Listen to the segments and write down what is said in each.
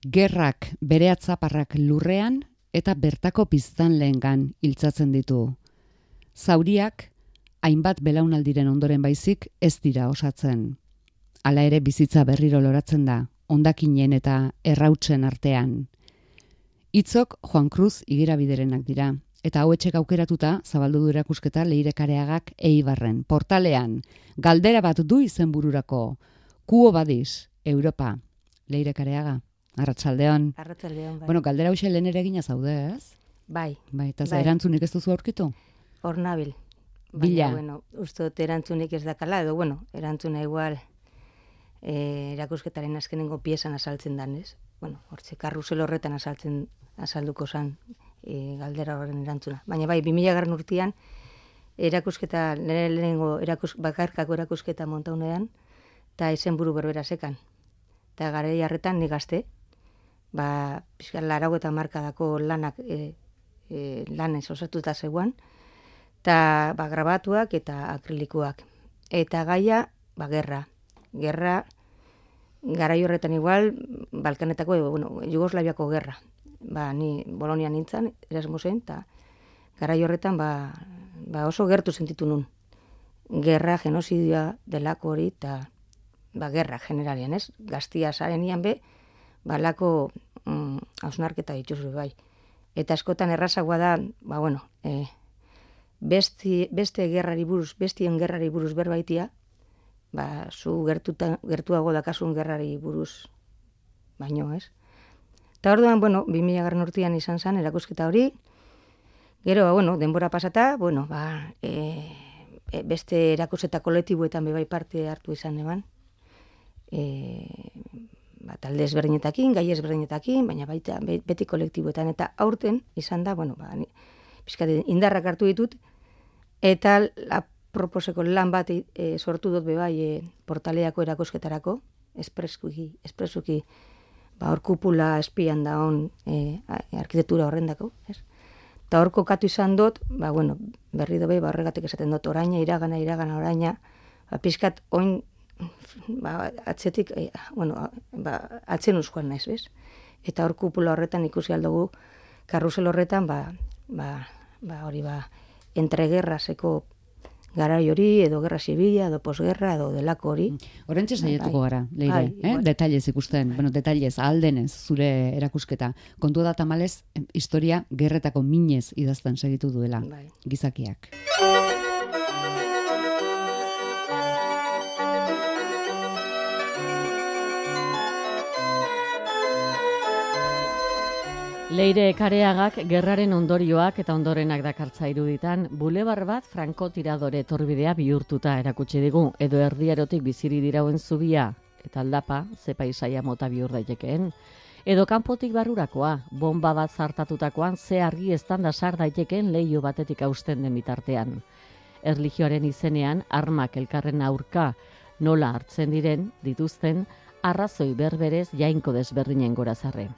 Gerrak bere atzaparrak lurrean eta bertako biztanleengan iltzatzen ditu. Zauriak, hainbat belaunaldiren ondoren baizik ez dira osatzen. Hala ere bizitza berriro loratzen da, hondakinen eta errautsen artean. Hitzok Juan Cruz igerabiderenak dira, eta hauetxek aukeratuta zabaldu du erakusketa Leire Kareagak Eibarren, portalean. Galdera bat du izenbururako. Quo vadis, Europa. Leire Kareaga, arratsaldeon. Arratsaldeon, bai. Bueno, galdera hoxe lehen ere egina zaude, ez? Bai. Bai, eta erantzunik ez duzu aurkitu? Hor nabil. Bila. Bueno, uste dut erantzunik ez dakala, edo, bueno, erantzuna igual erakusketaren azkenengo piezan azaltzen dan, ez? Bueno, hortze, karrusel horretan azalduko zan galdera horren erantzuna. Baina bai, 2000 urtean, erakusketa, lehenengo bakarkako erakusketa montaunean, eta izenburu berbera sekan. Eta garai harretan ni gazte, pixka 80 markadako lanak lanez osatuta zegoan, eta grabatuak eta akrilikoak. Eta gaia, gerra. Gerra, garai horretan igual, Balkanetako, Jugoslaviako gerra. Ni Bolonian nintzen, Erasmusen, eta garai horretan oso gertu sentitu nun. Gerra, genozidioa delako hori, eta gerra generalian, ez? Gaztia zaren ian be, lako hausnarketa dituzu bai. Eta askotan errazagoa da, beste gerrari buruz, bestien gerrari buruz berbaitia, zu gertuago dakasun gerrari buruz baino, ez? Eta orduan, 2000 urtean izan zen erakusketa hori, gero, denbora pasata, beste erakusketa kolektiboetan bebai parte hartu izan eban, talde ezberdinetakin, gai ezberdinetakin, baina baita beti kolektiboetan, eta aurten izan da, pixkat indarrak hartu ditut, eta proposeko lan bat sortu dut bebai portaleako erakusketarako, espresuki, hor kupula espian da hon arkitektura horrendako, ez? Eta hor kokatu izan dut, berri dobe, horregatik esaten dut, iragana, oraina, pixkat oin, atzetik, atzen uzkoan naiz, bez? Eta hor kupula horretan ikusi aldugu, karrusel horretan, hori, entregerrazeko garai hori, edo gerra zibila, edo posgerra, edo delako hori. Horrentxe saietuko gara, Leire, detailez ikusten, detailez, ahaldenez, zure erakusketa. Kontua da tamalez, historia gerretako minez idazten segitu duela, gizakiak. Leire Kareagak gerraren ondorioak eta ondorenak dakartza iruditan, bulebar bat frankotiradore etorbidea bihurtuta erakutsi digu, edo erdierotik biziri dirauen zubia, eta aldapa, ze paisaia mota bihur daitekeen, edo kanpotik barrurakoa, bomba bat zartatutakoan ze argi estanda sar daitekeen leiho batetik hausten den bitartean. Erlijioaren izenean, armak elkarren aurka nola hartzen dituzten, arrazoi berberez jainko desberdinen gorazarre.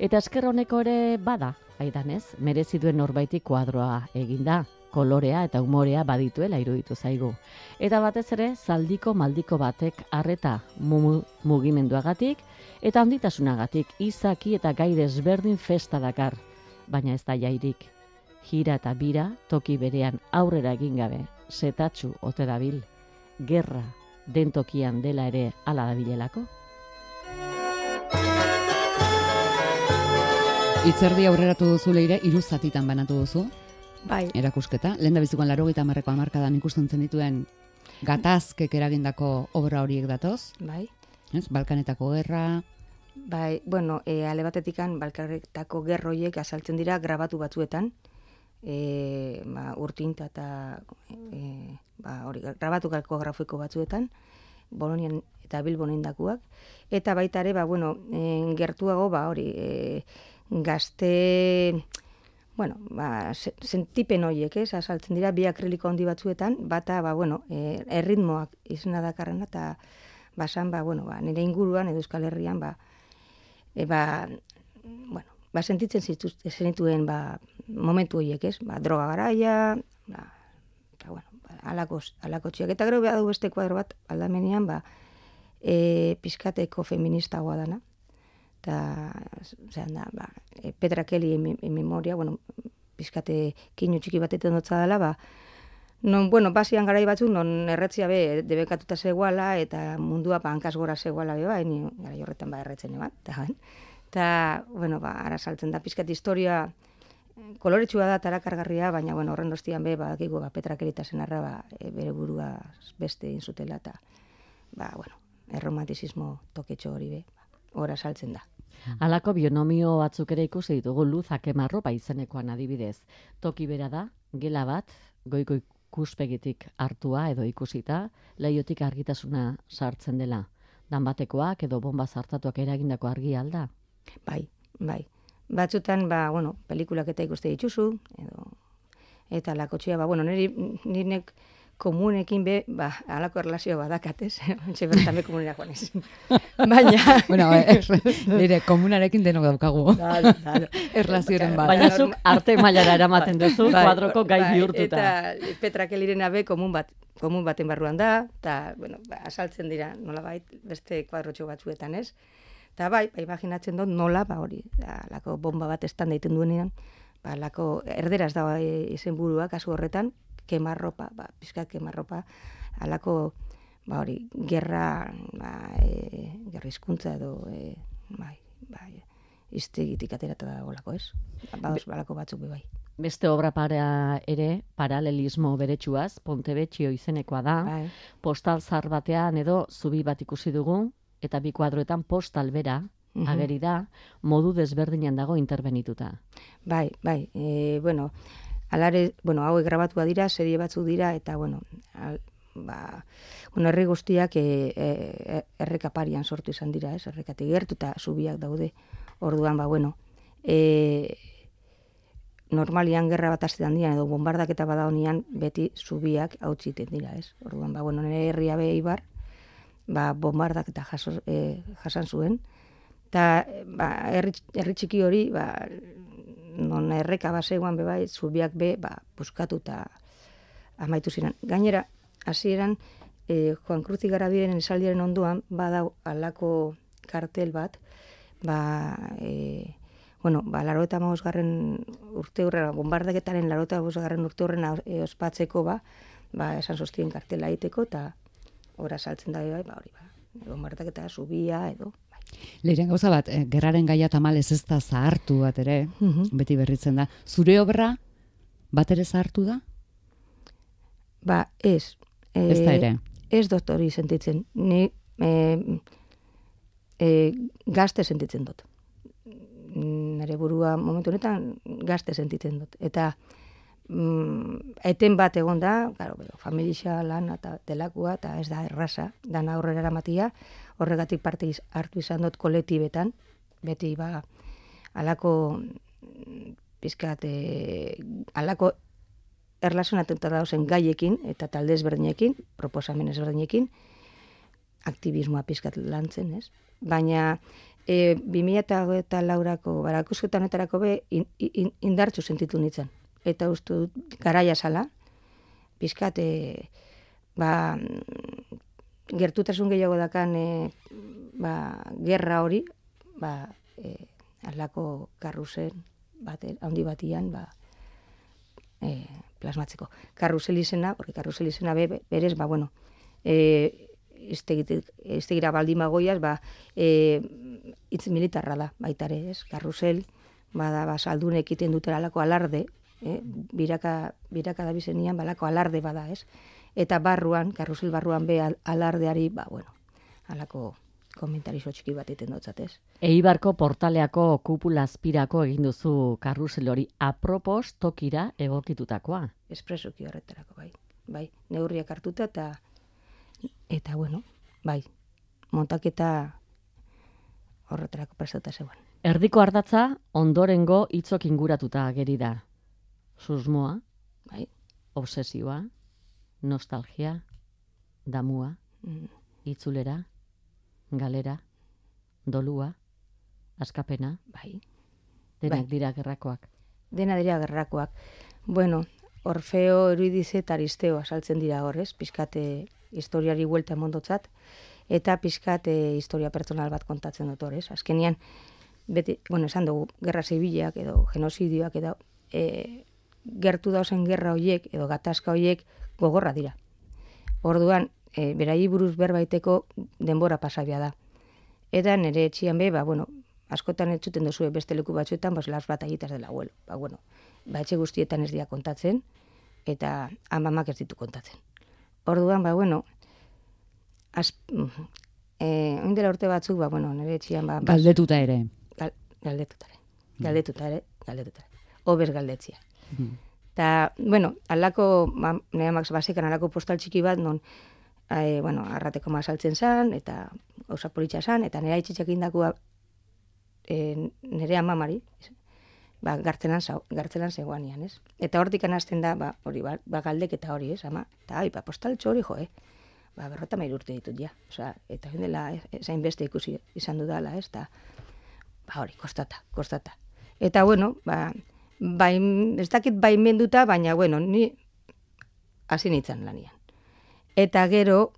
Eta esker honeko ere bada, aidanez, merezi duen norbaitik kuadroa eginda, kolorea eta umorea badituela iruditu zaigu. Eta batez ere, zaldiko maldiko batek arreta mugimenduagatik eta handitasunagatik izaki eta gai desberdin festa dakar, baina ez da jairik. Jira eta bira toki berean aurrera egin gabe, setatxu ote dabil, gerra den tokian dela ere hala dabilelako. Itzerdi aurreratu duzu Leire, 3 zatitan banatu duzu. Bai. Erakusketa. Lehendabizikoan 80 hamarkadan ikusten zenituen gatazkek eragindako obra horiek datoz. Bai. Ez, Balkanetako gerra. Bai, ale batetikan Balkanetako gerra horiek azaltzen dira grabatu batzuetan. Urtinta eta grabatu grafiko batzuetan, Bolonian eta Bilbon indakuak. Eta baita ere, gertuago, gazte, sentipen horiek, azaltzen dira, bi akriliko handi batzuetan, bata, erritmoak izena dakarrena, eta nire inguruan, edo Euskal Herrian, sentitzen zenituen momentu horiek, droga garaia, alako txiak. Eta gero behar du beste kuadro bat, aldamenean, pizkateko feministagoa dana. Eta zean da, Petra Kelly en memoria, bueno, pizkate kinu txiki batetan dotza dela, non, bueno, basian garai batzuk, non erretzia be, debekatuta zegoala, eta mundua hankaz gora zegoala be, ni garai horretan erretzen eban, eta, bueno, ara saltzen da, pizkat historia koloretsua da, tarakargarria, baina, bueno, horren ostian be, badakigu, Petra Kelly eta senarra, bere burua beste inzutela, eta, bueno, erromantizismo toketxo hori be, ora saltzen da. Halako bionomio batzuk ere ikusi ditugu Luz Akemarropa izenekoan adibidez. Toki bera da, gela bat, goiko ikuspegitik hartua edo ikusita, leiotik argitasuna sartzen dela. Danbatekoak edo bomba zartatuak eragindako argi alda? Bai. Batzutan, bueno, pelikulak eta ikuste dituzu, eta lakotxea, bueno, nirenek komunekin be, halako erlazioa badakatez, ontsa bertan be komunera joan ez. Baina... Bueno, nire komunarekin denok daukagu. Erlazioaren bat. Baina zuk arte mailara eramaten duzu, kuadroko gai bihurtuta. Eta Petra Kellyrena be komun baten barruan da, eta, bueno, asaltzen dira, nolabait, beste kuadrotxo batzuetan ez. Eta imaginatzen dut nola, hori, lako bomba bat estan daiten duenean, lako erderaz da izen burua, kasu horretan, kemarropa, pizkat kemarropa, alako, hori, gerra hizkuntza edo, iztegitik aterata da olako, ez? Balako batzuk bai. Beste obra ere, paralelismo beretsuaz, Pontebetxio izenekoa da, postal zar batean edo zubi bat ikusi dugu, eta bi kuadroetan postal bera, ageri da, modu desberdinan dago interbenituta. Bai, bueno, alare, bueno, hauek grabatua dira, serie batzuk dira, eta, bueno, herri guztiak errekaparian sortu izan dira, ez, errekatik gertu, eta zubiak daude, orduan, bueno, normalian gerra bat hastetan dira, edo bombardaketa bada honian, beti zubiak hautsiten dira, ez, orduan, bueno, nire herria be Ibar, bombardaketa jasan zuen, eta herri txiki hori, non erreka baseguan bebai, zubiak be, puskatu eta amaitu ziren. Gainera, hasieran Juan Cruz Igarabiren esaldiaren onduan, badau alako kartel bat, bueno, 85. urte hurren, bombardaketaren 85. urte hurren ospatzeko, esan sostien kartela egiteko, eta ora saltzen da bai, hori, bombardaketa, zubia, edo, Leiren gauza bat, gerraren gaia tamalez ez da zahartu bat ere, beti berritzen da. Zure obra bat ere zahartu da? Ez. Ez da ere? Ez doktori sentitzen. Ni gazte sentitzen dut. Nire burua momentu honetan gazte sentitzen dut. Eta eten bat egon da, familia lan eta delakua, eta ez da erraza, dana aurrera eramatia, horregatik parte hartu izan dut kolektibetan, beti alako pizkat, alako erlazionatuta dauzen gaiekin, eta talde ezberdinekin, proposamen ezberdinekin, aktivismoa pizkat lantzen, ez? Baina 2008ko barakusketan honetarako be indartzu sentitu nintzen. Eta uste dut garaia zala, pizkat, gertutasun gehiago dakan gerra hori, alako karruzen handi batian plasmatzeko. Karruzel izena, porque karruzel izena berez, bueno, iztegira baldin bagoiaz, hitz militarra da, baitare, ez? Karruzel, saldunek egiten dutera alako alarde, biraka da bizenian, balako alarde bada, ez? Eta barruan, karruzel barruan be alardeari, bueno, alako komentarizo txiki bat egiten dutzat, ez? Eibarko portaleako kupula azpirako egin duzu karrusel hori apropos tokira egokitutakoa. Espresuki horretarako, bai, neurriak hartuta eta bueno, bai, montaketa horretarako prestatuta zegoen. Erdiko ardatza ondorengo hitzok inguratuta ageri da. Susmoa, bai, obsesioa, nostalgia, damua, itzulera, galera, dolua, askapena, bai. Denak dira gerrakoak. Dena dira gerrakoak. Bueno, Orfeo, Euridice eta Aristeo asaltzen dira horrez, pizkate historiari huelta emondotzat, eta pizkate historia pertsonal bat kontatzen dut horrez. Azkenian, beti, esan dugu, gerra zibilak edo genozidioak edo gertu dauzen gerra hoiek edo gatazka hoiek gogorra dira. Orduan, berai buruz berbaiteko denbora pasabia da. Eta nire etxian askotan entzuten duzue beste leku batzuetan, las batallitas del abuelo. Etxe guztietan ez dira kontatzen, eta amamak ez ditu kontatzen. Orduan, oindela urte batzuk, nire etxian... Galdetuta ere. Galdetuta ere. Obez galdetzia. Eta, alako, nire amak basekan alako postal txiki bat, non, arrateko saltzen zan, eta gauza politxa zan, eta nire haitxetxak indakua nire amamari, gartzelan zegoanian, ez? Eta hortik anazten da, galdek eta hori, ez, ama? Eta, postaltxo hori, berrota urte ditut, ja. Eta dela, zain beste ikusi izan dudala, ez? Eta, hori, kostata. Eta, ez dakit baimenduta, baina, ni hasi nintzen lanian. Eta gero,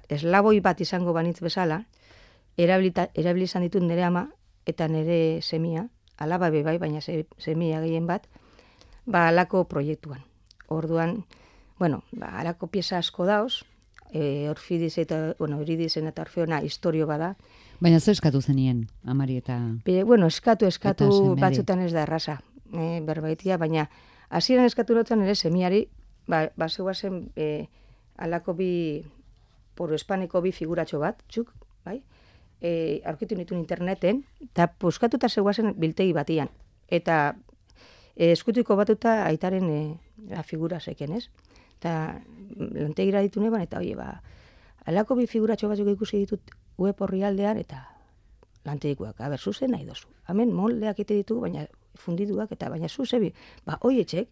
eslaboi bat izango banitz bezala, erabili izan ditut nire ama eta nire semia, alaba bebai, baina semia gehien bat, alako proiektuan. Orduan, alako pieza asko dauz, Orfidiz eta, Euridizen eta Orfeona historio bada. Baina zer eskatu zenien, amari eta... Eskatu batzutan ez da erraza, berbaitia, baina hasieran eskatu notzen ere semiari, zeuazen alako poro espaneko bi figuratxo bat, txuk, bai? Aurkitu nituen interneten, eta puskatuta zeuazen biltegi batian. Eta eskutuko batuta aitaren figura zeken, ez? Eta lantegira ditu neban, eta alako bi figuratxo batzuk ikusi ditut web horri aldean, eta lantegikoak, zuzen nahi dozu. Hemen moldeak ite ditu, baina fundiduak, eta baina zuzebi, hoietxek,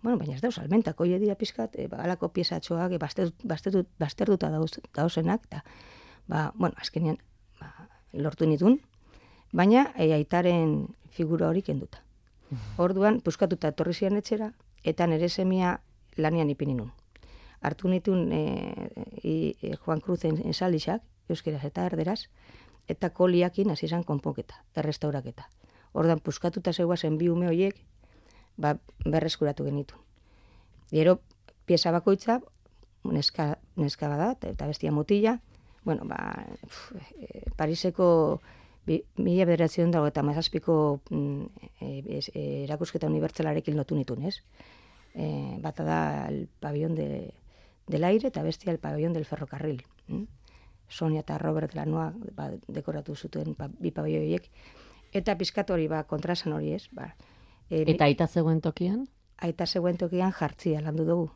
baina ez dauz almentak, hoi dira pizkat, alako piezatxoak, bazterduta dauzenak, eta, azkenean, lortu nitun, baina aitaren figura hori kenduta. Orduan, puskatuta etorri zian etxera, eta nire semia lanian ipini nun. Hartu nitun Juan Cruzen ensalixak, euskeraz eta erderaz, eta koliakin hasi izan konponketa, errestauraketa. Orduan, puskatuta zeuazen bi ume horiek, berreskuratu genitu. Gero, pieza bakoitza, neska bada, eta bestia mutila, Pariseko 1987ko erakusketa unibertsalarekin lotu nitun, ez? Bata da el pabellón del aire eta bestia el pabellón del ferrocarril. Sonia eta Robert Lanoa dekoratu zuten bi pabelloiek. Eta pizkat hori kontrasan hori, ez? Eta aita zegoen tokian? Aita zegoen tokian jartzia landu dugu.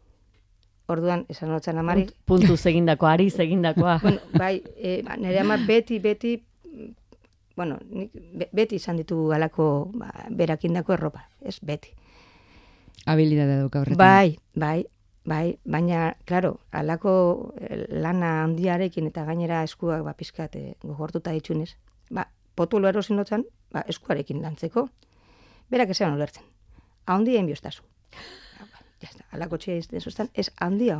Orduan, esan notzen amari... Puntu egindakoa, ari egindakoa. Nire ama beti, beti izan ditu galako berakindako erropa, ez beti. Habilidade duka horretan. Bai, baina, klaro, alako lana handiarekin eta gainera eskuak pizkat gogortuta ditxunez, potolo erosin notzen, eskuarekin lantzeko, berak esan ulertzen. Handien biostazu. Alako txea izten zuztan, ez handia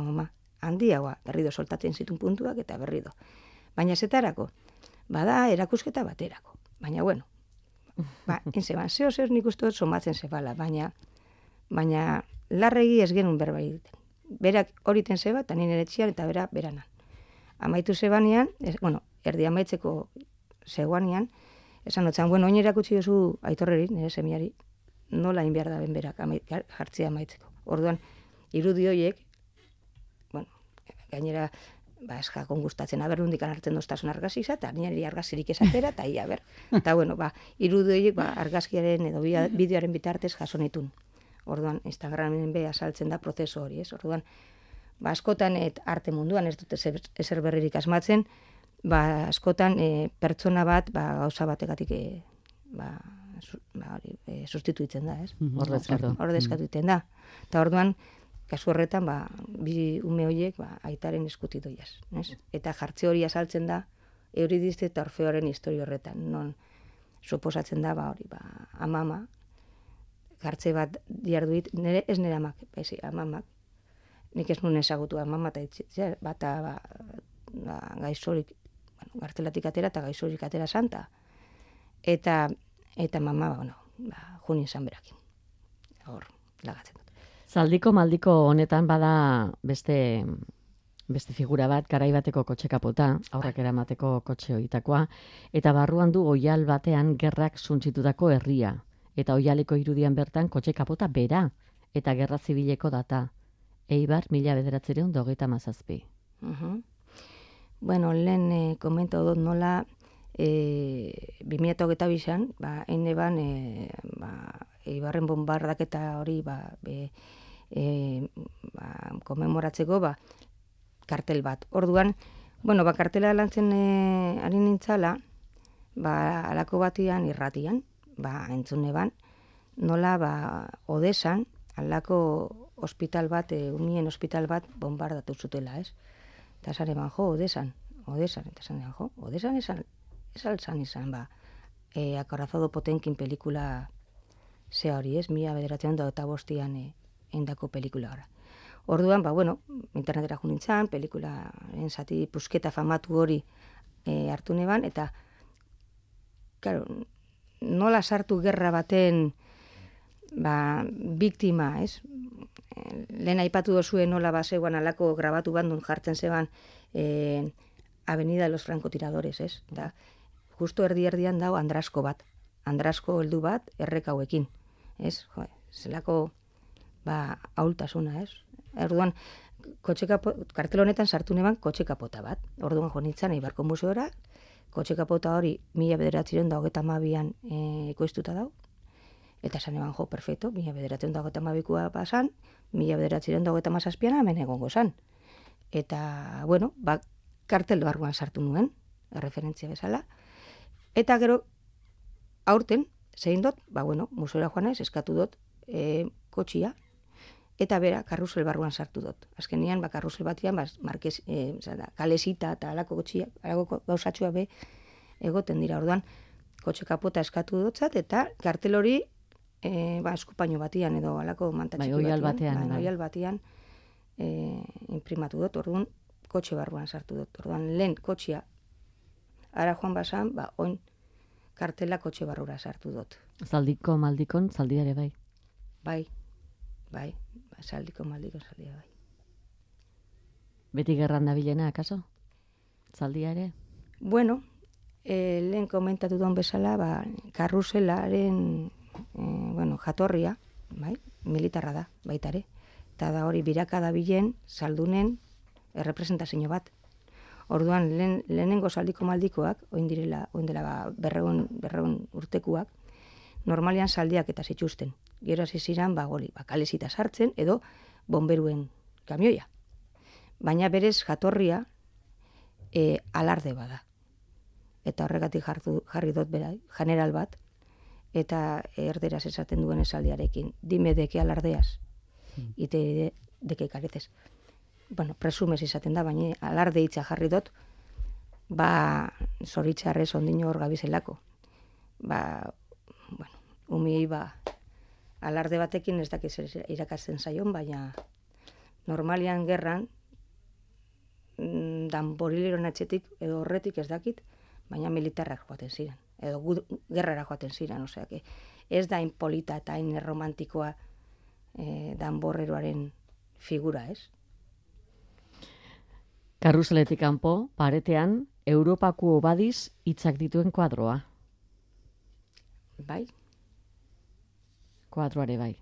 berrido soltatzen zitun puntuak eta berrido. Baina zetarako, bada erakusketa baterako. Baina, zeo nik uste dut somatzen zebala, baina larregi ez genuen berba egiten. Berak horiten zeba, eta nire etxian eta beranan. Amaitu zebanean, erdi amaitzeko zegoanean, esan notzen, oin erakutsi duzu aitorreri, nire semiari, nola inbiar da ben berak jartzea amaitzeko. Orduan, irudi horiek, gainera, eskakon gustatzen, nundik hartzen doztasun argazisa, eta nire argazirik esatera, eta ia, Eta, irudi horiek argazkiaren edo bideoaren bitartez jasonitun. Orduan, Instagramen azaltzen da prozesu hori, ez? Orduan, askotan arte munduan, ez dute ezer berririk asmatzen, askotan pertsona bat, gauza bategatik sustituitzen da, ez? Ordezkatu egiten da. Eta orduan, kasu horretan, bi ume horiek aitaren eskuti doiaz. Eta jartze hori azaltzen da, Euridiz eta Orfeoren historio horretan. Non, suposatzen da, amama, jartze bat diarduit, ez nire amak, amamak, nik ez nuen ezagutu amama, eta bata gaixorik, gartelatik atera eta gaixorik atera santa. eta mama, juni izan berakin. Hor, lagatzen dut. Zaldiko maldiko honetan bada beste figura bat, garai bateko kotxe kapota, aurrak eramateko kotxe horitakoa, eta barruan du oial batean gerrak suntsitutako herria. Eta oialeko irudian bertan kotxe kapota bera, eta gerra zibileko data. Eibar, 1937. Bueno, lehen komenta dut nola 2022an, eine ban, Eibarren bombardaketa hori komemoratzeko kartel bat. Orduan, kartela lantzen ari nintzala, alako batian irratian, entzun neban, nola Odesan, alako hospital bat, umien hospital bat bombardatu zutela, ez? Eta esan eban, Odesan, eta esan eban, Odesan esan izan, Acorazado Potenkin pelikula zea hori, ez? 1985an endako pelikula gara. Orduan, internetera jo nintzen, pelikularen zati pusketa famatu hori hartu neban, eta, claro, nola sartu gerra baten biktima, ez? Lehen aipatu dozuen nola bazegoan alako grabatu bandun jartzen zeban Avenida de los Francotiradores, ez? Eta justo erdian dago Andrasko bat. Andrasko heldu bat errekauekin, ez? Zelako ahultasuna, ez? Orduan, kartel honetan sartu neban kotxe kapota bat. Orduan jo nintzen Eibarko museora, kotxe kapota hori 1932an ekoiztuta dago. Eta esan eban, perfecto, 1932koa pasan, 1937an hemen egongo zan. Eta, kartel barruan sartu nuen, referentzia bezala. Eta gero, aurten, zein dut, museora joan ez, eskatu dut kotxia, eta bera, karrusel barruan sartu dut. Azkenian, karrusel batian, kalesita eta alako kotxia, alako gauzatxua be, egoten dira. Orduan, kotxe kapota eskatu dutzat, eta kartel hori, eskupaino batian edo alako mantatxiki batian. Oial batean imprimatu dut, orduan, kotxe barruan sartu dut. Orduan, lehen kotxia, ara joan basan, oin kartela kotxe barrura sartu dut. Zaldiko maldikon, zaldiare bai. Bai, zaldiko maldikon, zaldia bai. Beti gerran dabilena, akaso? Zaldiare? Bueno, lehen komentatu duen bezala, karruselaren jatorria, militarra da, baitare. Eta da hori biraka dabilen, saldunen, errepresentazio bat. Orduan, lehenengo zaldiko maldikoak, oin dela berreun urtekuak, normalian zaldiak eta zituzten. Gero hasi ziren, kalesita sartzen, edo bomberuen kamioia. Baina berez jatorria alarde bada. Eta horregatik jarri dut bera, general bat, eta erderaz esaten duen esaldiarekin. Dime deke alardeaz, ite deke karetez. Presumez izaten da, baina alarde hitza jarri dut, zoritxarrez ondino hor gabizelako. Umiei alarde batekin ez dakiz irakasten zaion, baina normalian gerran, danborileron atxetik edo horretik ez dakit, baina militarrak joaten ziren, edo gerrara joaten ziren, ez da hain polita eta hain romantikoa danborreroaren figura, ez? Karruseletik kanpo, paretean, Europako obadiz hitzak dituen kuadroa. Bai. Kuadroare bai.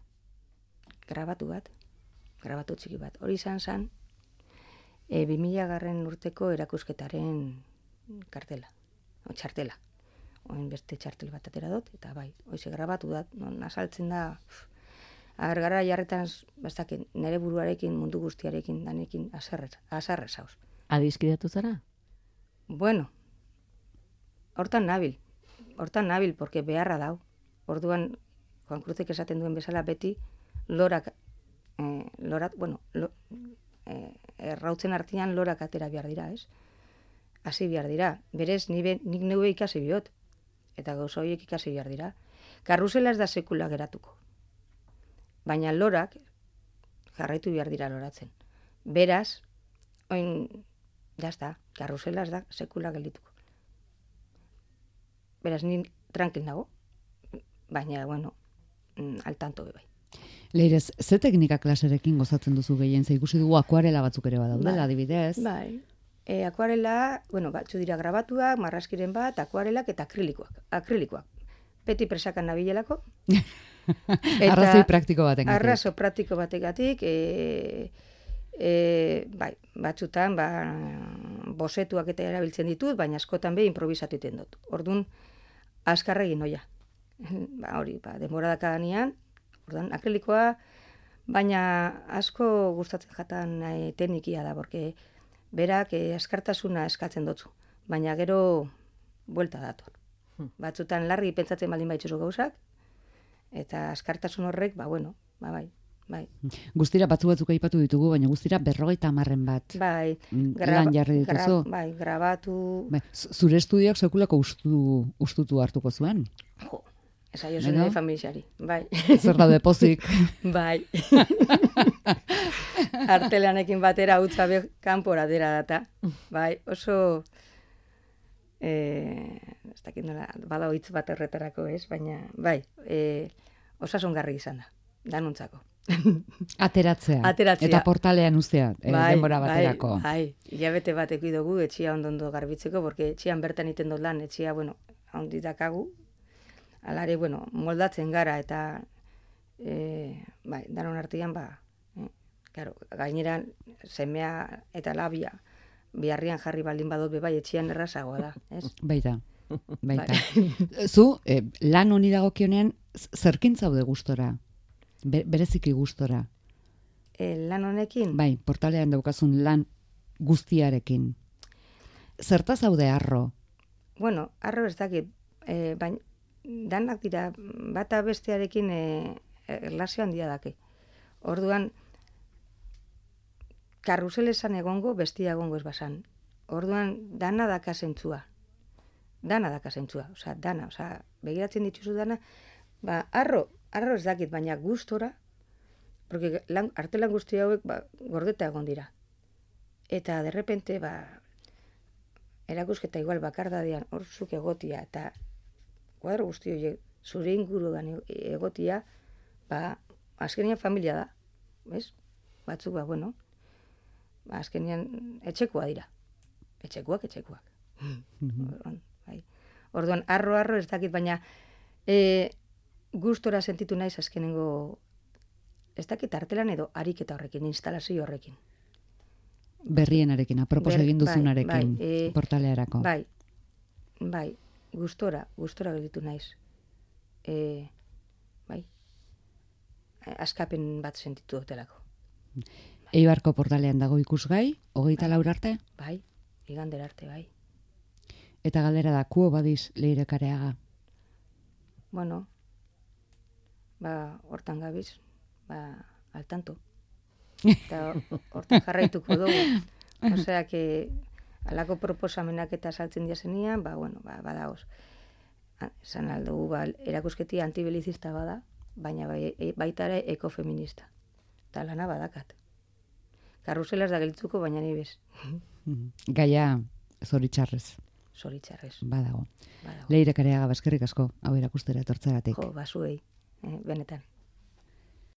Grabatu txiki bat. Hori izan zen, 2000 urteko erakusketaren kartela, txartela. Oin beste txartel bat atera dut, eta hoize grabatu da, azaltzen da, agargara jarretan, nire buruarekin, mundu guztiarekin, danekin, azarrez hauz. Adizkidatu zara? Bueno, hortan nabil, porque beharra dau. Orduan, Juan Cruzek esaten duen bezala beti, errautzen artean lorak atera behar dira, ez? Hasi behar dira. Berez, nik neue ikasi biot, eta gauza horiek ikasi behar dira. Karrusela ez da sekula geratuko. Baina lorak jarraitu behar dira loratzen. Beraz, jazta, karrusela ez da sekula geldituko. Beraz, ni tranquil nago, baina, bueno, al tanto bai. Leirez, ze teknika klaserekin gozatzen duzu gehien? Ze ikusi dugu akuarela batzuk ere badaudela, adibidez. Bai. Akuarela, bueno, batzu dira grabatuak, marraskiren bat, akuarelak eta akrilikoak. Beti presakan nabilelako. Arrazoi praktiko bategatik. Arrazo praktiko bategatik, bai, batzutan, bosetuak eta erabiltzen ditut, baina askotan be improvisatu egiten dut. Orduan, azkarra egin noia. Hori, denbora dakadanean, orduan, akrilikoa, baina asko gustatzen jatan teknikia da, porque berak askartasuna eskatzen dutzu, baina gero buelta dator. Batzutan larri pentsatzen baldin baitzuzu gauzak, eta askartasun horrek, bai. Guztira batzuk aipatu ditugu, baina guztira 50 bat. Bai, lan jarri dituzu. Bai, grabatu. Bai, zure estudioak sekulako ustutu hartuko zuen. Jo, esa jo zen familiari, bai. Zer daude pozik. Bai. Artelanekin batera utza kanpora dira data. Bai, oso ez dakit nola, bada hitz bat erretarako, ez, baina bai, osasungarri izan da, danontzako. Ateratzea. Eta portalean uztea, denbora baterako. Bai, hilabete bat eki dugu etxia ondo garbitzeko, porque etxian bertan iten dut lan, etxia, handi dakagu, alare, moldatzen gara, eta bai, danon artean, claro, gaineran semea eta labia biharrian jarri baldin badot bai etxian errazagoa da, ez? Baita. Zu, lan honi dagokionean, zerkin zaude gustora? Bereziki gustora? Lan honekin? Bai, portalean daukazun lan guztiarekin. Zerta zaude harro? Bueno, harro ez dakit, baina danak dira bata bestearekin erlazio handia dake. Orduan, karruselesan egongo, bestia egongo ez basan. Orduan, dana daka zentzua. Osea, begiratzen dituzu dana, harro ez dakit, baina gustora, porque artelan guzti hauek gordeta egon dira. Eta, derrepente, erakusketa igual bakardadean horzuk egotia, eta kuadro guzti horiek zure inguruan egotia, azkenean familia da, bez? Batzuk, azkenean etxekoa dira. Etxekoak. Orduan, arro ez dakit, baina gustora sentitu naiz azkenengo, ez dakit artelan edo ariketa horrekin, instalazio horrekin. Berrienarekin, apropos egin duzunarekin, portalearako. Bai, gustora gelditu naiz. Bai, askapen bat sentitu dutelako. Eibarko portalean dago ikusgai, 24 arte? Bai, igandera arte, bai. Eta galdera da, kuo badiz Leire Kareaga? Bueno, hortan gabiz, al tanto. Eta hortan jarraituko dugu. Osea, que alako proposamenak eta saltzen diazenian, badaoz. Esan aldugu, erakusketia antibilizista bada, baina baita ere ekofeminista. Eta lana badakat. Karruselaz da gelitzuko, baina ni bez. Gaia zoritxarrez. Badago. Leire Kareaga, eskerrik asko, hau erakustera etortzagatik. Jo, basuei, benetan.